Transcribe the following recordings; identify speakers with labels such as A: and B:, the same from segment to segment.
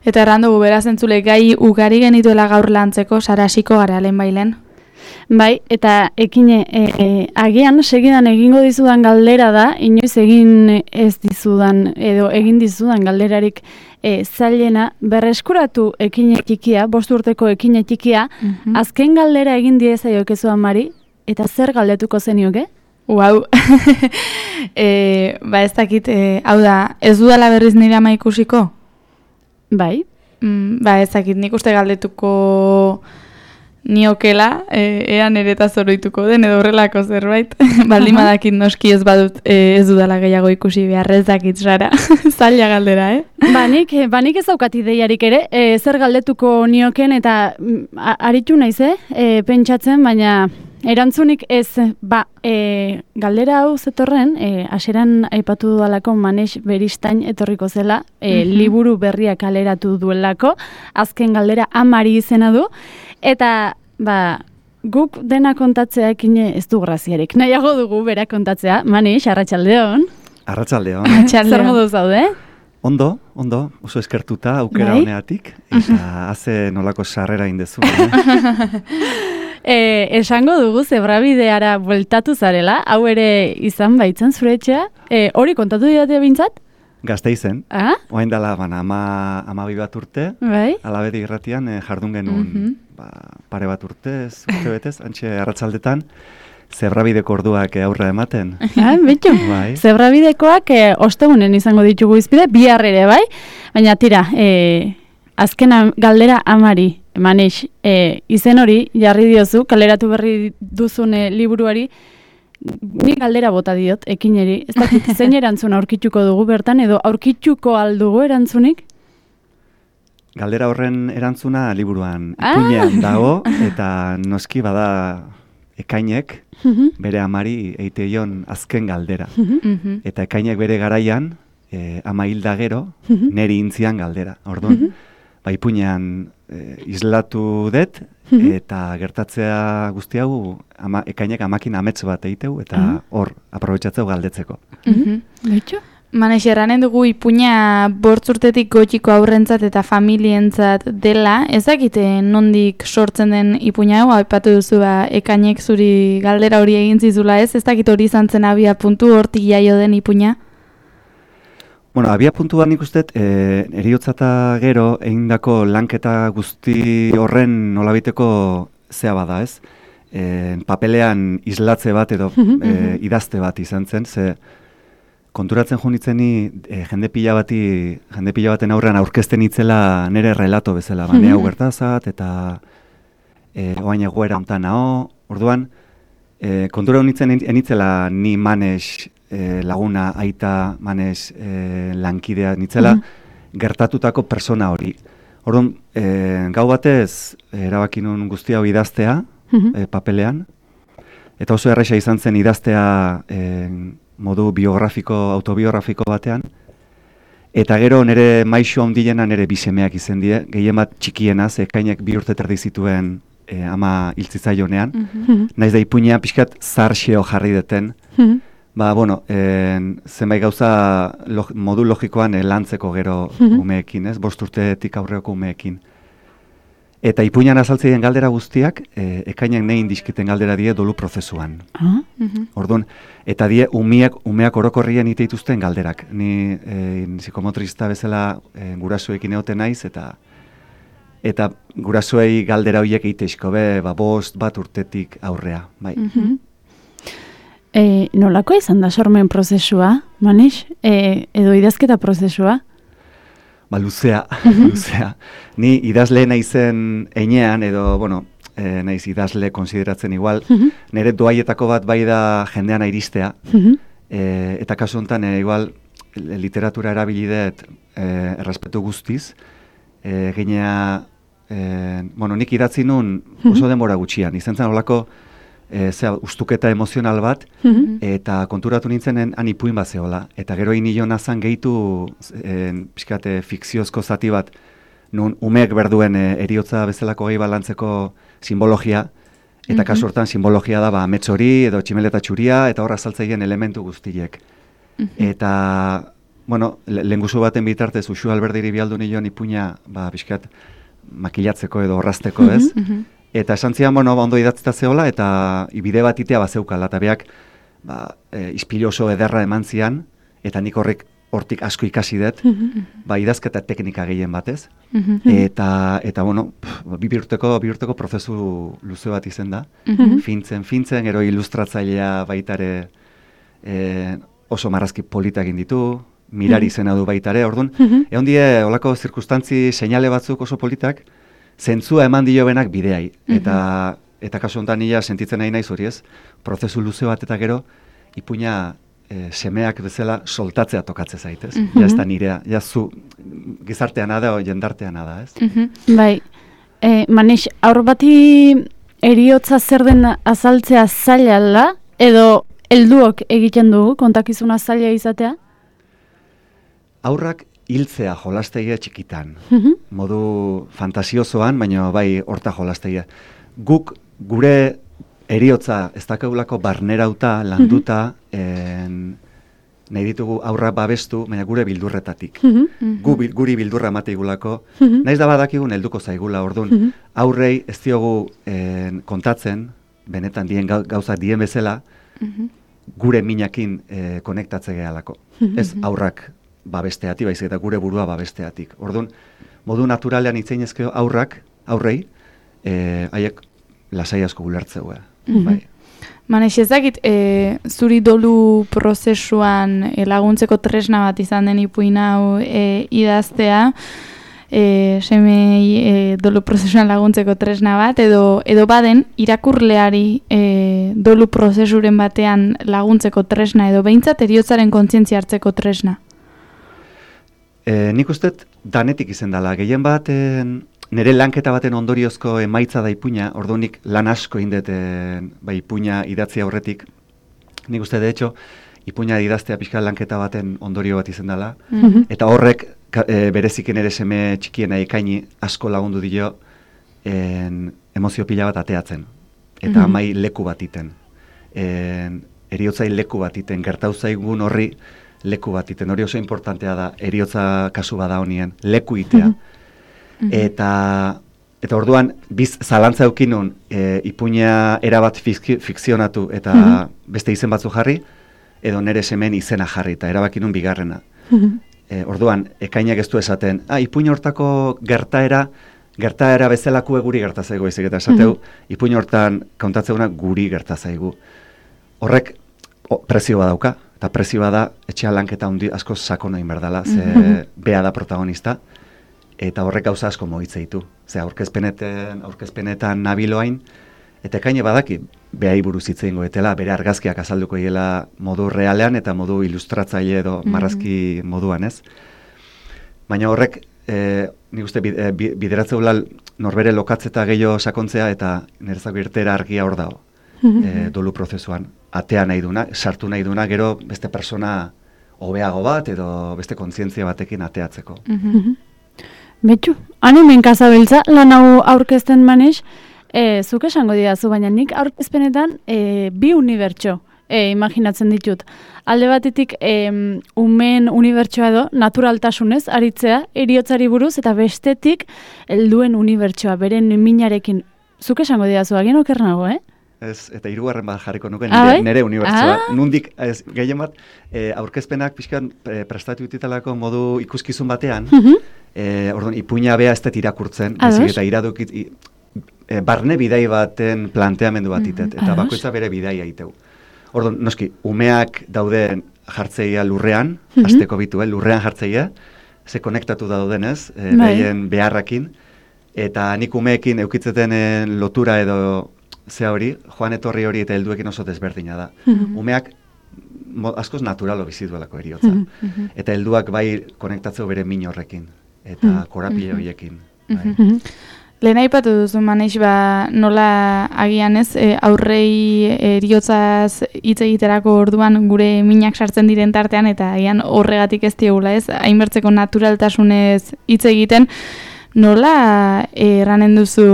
A: Eta erran dugu beraz entzule gai ugari genituela gaur lantzeko, Sara hasiko gara lehenbailen.
B: Bai, eta ekine, agian segidan egingo dizudan galdera da, inoiz egin ez dizudan, edo egin dizudan galderarik zailena, berreskuratu ekine txikia, 5 urteko ekine txikia, azken galdera egin diezaiokezu Amari, eta zer galdetuko zenioke?
A: Wow. Ba ez dakit, hau da, ez dudala berriz nire ama ikusiko?
B: Bai.
A: Ba ez dakit, nik uste galdetuko niokela, ea nereta zoroituko den edo horrelako zerbait. Baldin badakit noski ez badut ez dudala gehiago ikusi behar, ez dakit Sara. Zaila galdera,
B: Ba nik ez daukat ideiarik ere, zer galdetuko nioken eta aritu naiz, pentsatzen, baina erantzunik ez, galdera hau zetorren, hasieran aipatu dudalako Maneix Beristain etorriko zela, liburu berriak kaleratu duelako, azken galdera Amari izena du, eta guk dena kontatzeakin ez du graziarik. Nahiago dugu bera kontatzea. Maneix, arratsaldeon.
C: Arratsaldeon.
B: Zer modu zaude?
C: Ondo, oso eskertuta aukera honeatik, eta haze nolako sarrera indezu.
B: Esango dugu zebrabideara bueltatu zarela, hau ere izan baitzen zure etxea, hori kontatu didatea bintzat?
C: Gazteizen, oain dela 12 bat urte, Alabedi irratian jardun genuen pare bat urtez, betez, antxe arratsaldetan, zebrabideko orduak aurra ematen.
B: Betxo, zebrabidekoak ostegunen izango ditugu izpide, bihar ere bai, baina tira, azken galdera Amari, Maneix, izen hori jarri diozu, kaleratu berri duzune liburuari, nik galdera bota diot, ekineri, ez dakit zein erantzuna aurkituko dugu bertan, edo aurkituko aldugu erantzunik?
C: Galdera horren erantzuna liburuan ipuinean dago, eta noski bada Ekainek bere amari eiteion azken galdera. Eta Ekainek bere garaian, ama hilda gero, neri intzian galdera. Orduan, ipuinean islatu dut, eta gertatzea guzti hau Ekainek amakin amets bat eiteu, eta hor, aprobetxatzeu galdetzeko.
A: Maneix, erranen dugu ipuina 5 urtetik gotxiko aurrentzat eta familientzat dela, ezakite nondik sortzen den ipuina hau, aipatu duzu Ekainek zuri galdera hori egin zizula ez dakit hori izan zen abia puntu hortik jaio den ipuina?
C: Bueno, abia puntua nik uste, eriotzata gero egindako lanketa guzti horren nolabiteko zea bada ez, papelean islatze bat edo idazte bat izan zen, ze konturatzen junitzeni jende pila baten aurrean aurkezten itzela nire relato bezala, nire hau gertazat, eta oain egoera hontan nao, orduan, kontura honitzen enitzela ni Maneix laguna, aita, Maneix lankidea nitzela, gertatutako persona hori. Orduan, gau batez, erabaki nun guztia hau idaztea, papelean, eta oso erresa izan zen idaztea modu autobiografiko batean, eta gero nire maixo handiena nire bisemeak izan die, gehien bat txikienaz, Ekainek 2 urte terdi zituen ama hiltzitzaionean, naiz da ipuinean pixkat zarxeo jarri deten, zenbait gauza modu logikoan lantzeko gero umeekin, 5 urtetik aurreoko umeekin. Eta ipuinan azaltzeien galdera guztiak, Ekainek nein dizkiten galdera die dolu prozesuan. Orduan, eta die umeak orokorrien iteituzten galderak. Ni psikomotrista bezala gurasoekin egoten naiz, eta gurasoei galdera horiek eiteizko be, 5 bat urtetik aurrea.
B: Nolako izan da sormen prozesua, Maneix? Edo idazketa prozesua?
C: Luzea. Ni idazle naizen einean, edo, naiz idazle konsideratzen igual, nire doaietako bat bai da jendean iristea, eta kasu honetan, igual, literatura erabilidet errespetu guztiz, ginea, nik idatzi nun oso denbora gutxian, izan zen olako ustuketa emozional bat, eta konturatu nintzenen han ipuin bat zehola. Eta gero inio nazan gehitu fikziozko zati bat, nun umeek berduen eriotza bezalako gai balantzeko simbologia, eta kasu hortan simbologia da amets hori edo tximeleta txuria, eta horra azaltzeien elementu guztiek. Eta bueno, lehenguzu baten bitartez Uxu Alberdiri bialdu nion ipuina, pixkat makilatzeko edo orrazteko, ez? Eta esan zian, bueno, ondo idatzita zehola, eta bide bat itea bazeukala, eta beak, ispilu oso ederra eman zian, eta nik hortik asko ikasi dut, idazketa teknika gehien batez, eta bueno, bi urteko prozesu luze bat izen da, fintzen, gero ilustratzailea baitare oso marrazki politak egin ditu, mirari izena du baitare, orduan, egon die, olako zirkustantzi seinale batzuk oso politak, zentzua eman dio benak bideai, eta kasu honetan nila sentitzen nahi naiz hori ez, prozesu luze bat eta gero, ipuina semeak bezala soltatzea tokatzen zaitez. Ja ez da nirea, ja zu gizarteana da o jendarteana da, ez?
B: Bai, Manix, aur bati eriotza zer den azaltzea zaila edo helduok egiten dugu kontakizuna zaila izatea?
C: Aurrak hiltzea jolastegia txikitan, modu fantasiosoan, baina bai horta jolastegia. Guk gure eriotza ez dakagulako barnerauta, landuta, nahi ditugu aurra babestu, baina gure bildurretatik. Guri bildurra mateigulako, nahiz da badakigun helduko zaigula, orduan, aurrei ez diogu kontatzen, benetan dien gauza dien bezala, gure minakin konektatze gehalako. Ez aurrak babesteatik, baizik eta gure burua babesteatik. Orduan, modu naturalean itzeinezkeo aurrei, haiek lasai asko gulertzeu. Bai.
A: Manex, ezakit, zuri dolu prozesuan laguntzeko tresna bat izan den ipuin hau idaztea, semei dolu prozesuan laguntzeko tresna bat, edo baden irakurleari dolu prozesuren batean laguntzeko tresna, edo behintzat eriotzaren kontzientzia hartzeko tresna?
C: Nik uste danetik izen dela, gehien bat nire lanketa baten ondoriozko emaitza da ipuina, orduanik lan asko indeten ipuina idatzi aurretik. Nik uste, de hecho, ipuina idaztea pixka lanketa baten ondorio bat izen dela, eta horrek bereziken ere seme txikiena ekaini asko lagundu dio emozio pila bat ateatzen, eta amai leku bat iten. Eriotzai leku bat iten, gertau zaigun horri leku bat iten, hori oso importantea da, eriotza kasu bada honien, leku itea. Eta orduan, biz zalantza eukinun ipuina erabat fikzionatu eta beste izen batzu jarri, edo nere semen izena jarri, eta erabakinun bigarrena. Orduan, ekainak ez du esaten, ipuina hortako gertaera bezalakue guri gertazaigu, ezik eta esateu, ipuina hortan kontatzeuna guri gertazaigu. Horrek prezio badauka, eta prezio bada etxean lanketa hundi asko sakona inberdala, ze bea da protagonista, eta horrek gauza asko mogitze ditu. Ze aurkezpenetan nabiloain, eta ekaine badaki behai buruz hitz egingo etela, bere argazkiak azalduko hiela modu realean eta modu ilustratzaile edo marrazki moduan, ez? Baina horrek, nik uste bideratzeula norbere lokatzeta gehiago sakontzea eta nerezako irtera argia hor dago, dolu prozesuan. Atea nahi duna, sartu nahi duna, gero beste persona hobeago bat edo beste kontzientzia batekin ateatzeko.
B: Betxu, animen kazabiltza, lan hau aurkezten Manix, zuk esango didazu, baina nik aurkezpenetan bi unibertso imaginatzen ditut. Alde batetik umeen unibertsoa edo naturaltasunez aritzea, eriotzari buruz, eta bestetik helduen unibertsoa, beren minarekin. Zuk esango didazu, agin okernago,
C: Ez, eta hirugarren bat jarriko nuke nire unibertsoa. Nundik, gehien bat, aurkezpenak pixkan prestatu ditutalako modu ikuskizun batean, orduan, ipuina bea ez dut irakurtzen, eta iradukit, barne bidai baten planteamendu bat itet, eta bakoitza bere bidaia iteu. Orduan, noski, umeak daude jartzeia lurrean, asteko bitu, lurrean jartzeia, ze konektatu daudenez, behien beharrakin, eta nik umeekin eukitzeten lotura edo zea hori, joan etorri hori eta helduekin oso desberdina da. Umeak askoz naturalo bizi duelako eriotza. Eta helduak bai konektatzeu bere min horrekin, eta korapile horiekin.
A: Lehen aipatu duzu, Manix, nola agian ez, aurrei eriotzaz hitz egiterako orduan gure minak sartzen diren tartean, eta agian horregatik ez diegula ez, hainbertzeko naturaltasunez hitz egiten, nola erranen duzu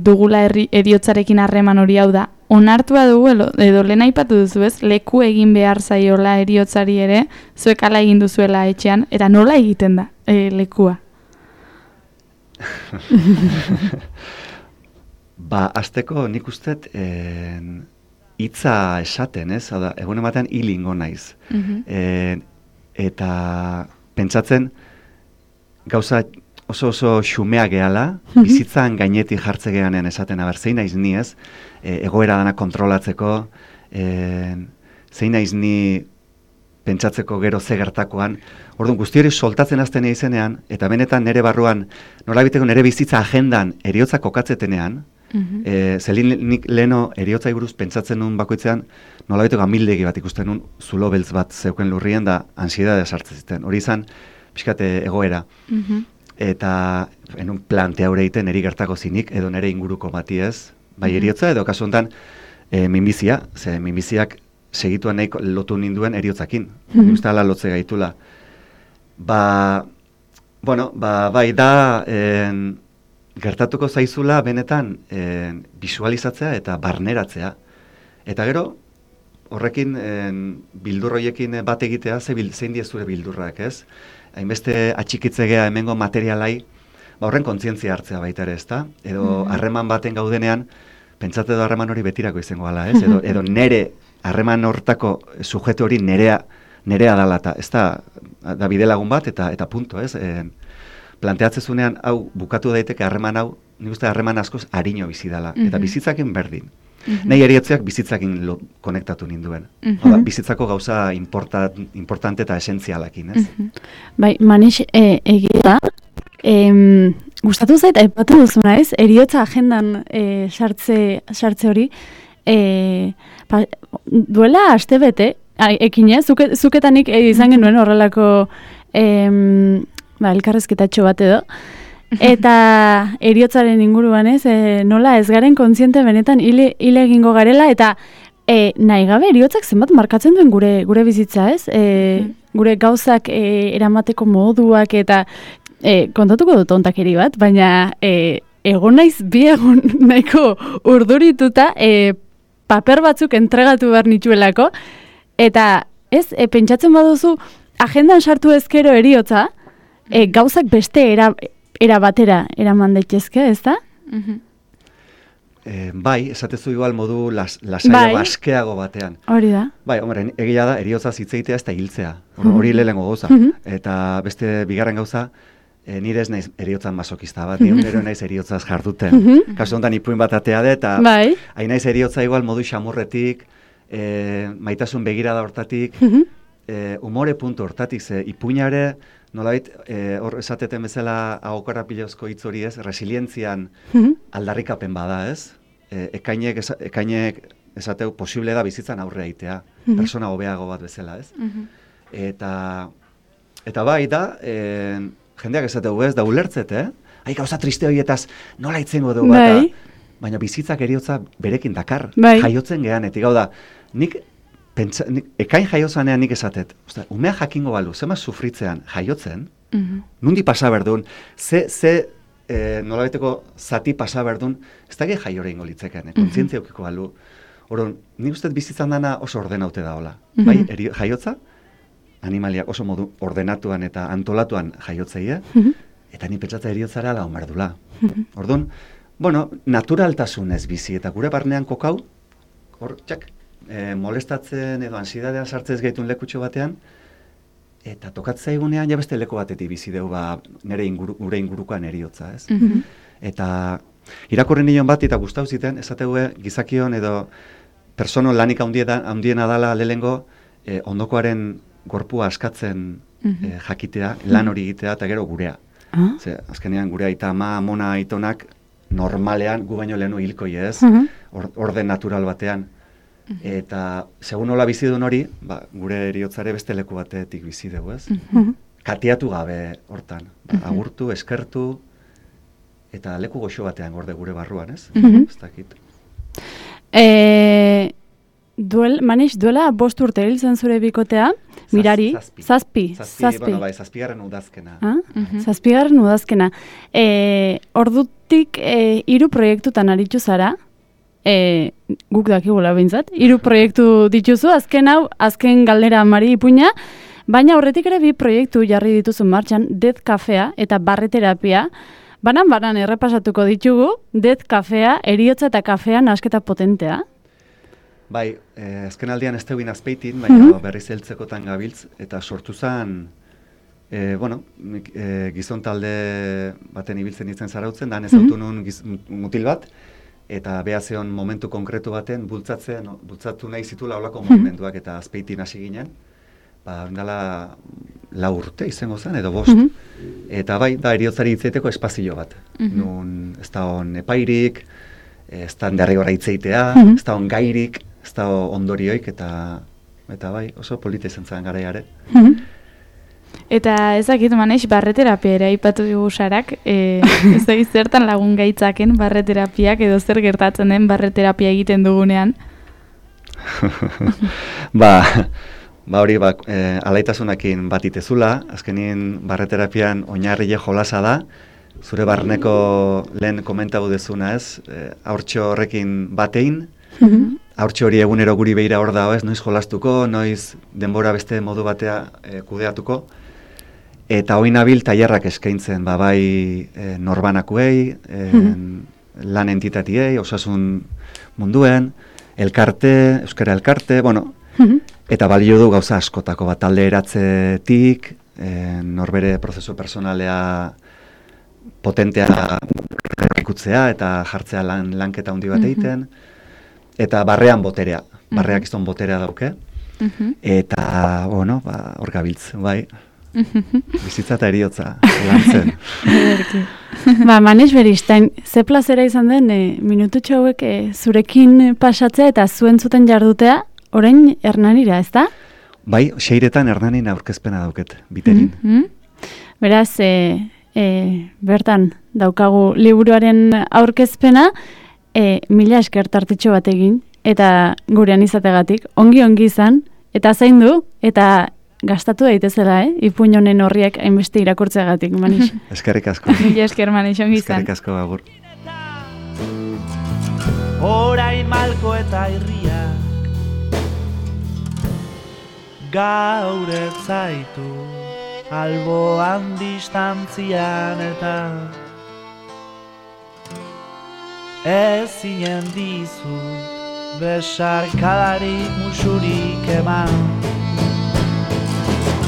A: dugula eriotzarekin harreman hori, hau da, onartua dugu, edo lehen aipatu duzu ez, leku egin behar zaiola heriotzari ere, zuek ala egin duzuela etxean, eta nola egiten da lekua?
C: Azteko nik ustet hitza esaten, ez? Hau da, egun ematean hilingo naiz. Eta pentsatzen gauza oso xumea gehala, bizitzan gainetik jartze geanean esaten, zein naiz ni ez, egoera dana kontrolatzeko, zein naiz ni pentsatzeko gero ze gertakoan. Orduan, guzti hori soltatzen azten izenean, eta benetan nire barruan, nolabiteko nire bizitza agendan eriotza kokatzetenean, nik leheno eriotza buruz pentsatzen nun bakoitzean, nolabiteko amildegi bat ikusten nun, zulo beltz bat zeuken lurrien da ansiedadea sartzen ziten. Hori izan, pixkate egoera. Eta enun plantea hori egiten niri gertako zinik, edo nire inguruko bati ez, bai eriotza, edo kasu honetan minbizia, ze minbiziak segituan nahi lotu ninduen eriotzakin. Uste ala lotze gaitula. Bai da, gertatuko zaizula benetan visualizatzea eta barneratzea. Eta gero, horrekin bildurroiekin bat egitea, zein die zure bildurrak, ez? Hainbeste atxikitzegea hemengo materialai, horren kontzientzia hartzea baita ere, ezta? Edo harreman baten gaudenean, pentsate edo harreman hori betirako izango gala, ez? Edo nere harreman hortako sujeto hori nerea dala, eta ez da bide lagun bat, eta punto, ez? Planteatzezunean, hau, bukatu daiteke harreman hau, nik uste harreman askoz harino bizi dela, eta bizitzakin berdin. Nahi eriotzeak bizitzakin konektatu ninduen. Bizitzako gauza importante eta esentzialakin, ez?
B: Bai, Manix, egia, gustatu zait, aipatu duzuna ez, eriotza agendan sartze hori, duela aste bete, ekine, zuketanik izan genuen horrelako elkarrezketatxo bat edo, eta eriotzaren inguruan ez, nola ez garen kontziente benetan hile egingo garela, eta nahi gabe eriotzak zenbat markatzen duen gure bizitza ez, gure gauzak eramateko moduak, eta kontatuko dut ontakeri bat, baina egon naiz bi egun nahiko urdurituta paper batzuk entregatu behar nituelako, eta ez, pentsatzen baduzu agendan sartu ezkero eriotza, gauzak beste era batera eraman daitezke, ez da?
C: Bai, esatezu igual modu lasaiago, askeago batean.
B: Hori da.
C: Bai, hombre, egia da, eriotza zitzeitea ez da hiltzea. Hori lehenengo gauza. Eta beste bigarren gauza, nire ez naiz eriotzan masokista bat, nire naiz eriotzaz jarduten. Kasu honetan ipuin bat atea de, eta hain naiz eriotza igual modu xamurretik, maitasun begirada hortatik, umore puntu hortatik, ze ipuinare, nolabait, hor esateten bezala agokorapilozko hitz hori ez, resilientzian aldarrikapen bada ez, ekainek esateu posible da bizitzan aurrea itea, persona hobeago bat bezala ez. Eta bai da, jendeak esateu ez, da ulertzet, gauza triste horietaz nola itzengo dugu bat, baina bizitzak eriotza berekin dakar, jaiotzen geanetik, hau da, nik ekain jaiotzanean nik esatet, umea jakingo balu, zema sufritzean jaiotzen, nundi pasa berdun, nolabaiteko zati pasa berdun, ez da gehi jaiore ingo litzeken, kontzientzia eukiko balu. Horon, nik uste bizitzan dana oso ordenaute da hola. Bai, jaiotza, animaliak oso modu ordenatuan eta antolatuan jaiotzeie, eta ni pentsatza eriotzara la omerdula. Orduan, naturaltasunez bizi, eta gure barnean kokau, hor, txak, molestatzen edo ansidadean sartzez gaitun lekutxo batean, eta tokatzea egunean ja beste leku batetik bizi deu gure ingurukoan eriotza, ez? Eta irakurri nion bat eta gustau ziten, esategue gizakion edo persono lanik handiena dala lehengo ondokoaren gorpua askatzen jakitea, lan hori egitea eta gero gurea. Ze, azkenean gure aita ama, amona, aitonak normalean gu baino lehenu hilkoi ez, orden natural batean. Eta, segun nola bizidun hori, gure eriotzare beste leku batetik bizi dugu, ez? Katiatu gabe hortan. Agurtu, eskertu, eta leku goxo batean gorde gure barruan, ez? Ez dakit.
B: Manix, duela 5 urte hil zen zure bikotea, mirari, zazpi.
C: Zazpigarren udazkena.
B: Zazpigarren udazkena. Ordutik 3 proiektutan aritu zara, guk dakigula behintzat. 3 proiektu dituzu, azken galdera Mari Ipuña, baina horretik ere 2 proiektu jarri dituzu martxan, Death Cafea eta barreterapia. Banan errepasatuko ditugu, Death Cafea, eriotza eta kafea nahasketa potentea.
C: Bai, azken aldian ez tegin azpeitin, baina berriz heltzekotan gabiltz, eta sortu zen, gizon talde baten ibiltzen izen zarautzen, dan ezautu nun mutil bat, eta behazeon momentu konkretu baten bultzatu nahi zitula olako momentuak, eta azpeitin hasi ginen, ondala 4 urte izango zen, edo 5. Eta bai, da eriotzari hitzeiteko espazio bat. Nun ez da on epairik, ez da derrigorra hitzeitea, ez da on gairik, ez da ondorioik, eta bai, oso polita izan zen garaiare.
A: Eta ezakit maneix, barreterapia ere aipatu dugu Sarak, ez da zertan lagun gaitzaken barreterapiak edo zer gertatzen den barreterapia egiten dugunean?
C: Hori, alaitasunakin bat itezula, azkenien barreterapian oinarrile jolasa da, zure barneko lehen komentabu dezuna ez, haurtxo horrekin batein, haurtxo hori egunero guri behira hor da, ez, noiz jolastuko, noiz denbora beste modu batea kudeatuko, eta hoi nabil tailerrak eskaintzen, bai norbanakuei, lan entitatiei, osasun munduen, elkarte, euskara elkarte, eta balio du gauza askotako bat talde eratzetik, norbere prozesu personalea potentea ikutzea eta jartzea lanketa handi bat egiten, eta barrean boterea, barreak izan boterea dauke, eta, hor gabiltz, bai, bizitza eta eriotza, lantzen.
B: Maneix Beristain, ze plazera izan den minututxo hauek zurekin pasatzea eta zuen zuten jardutea, orain Hernanira, ez da?
C: Bai, 6etan Hernanin aurkezpena dauket, biterin.
B: Beraz, bertan daukagu liburuaren aurkezpena, 1000 esker tartitxo bat egin, eta gurean izategatik, ongi izan, eta zaindu, eta gastatu daitezela, Ipuñ honen horriak hainbeste irakurtzeagatik, Manix.
C: Eskerrik asko.
A: 1000 esker, Manix, ongi izan.
C: Eskerrik asko, agur.
D: Orain malko eta irriak gaur ez zaitu alboan distantzian eta ezinen dizut besarkadarik musurik eman.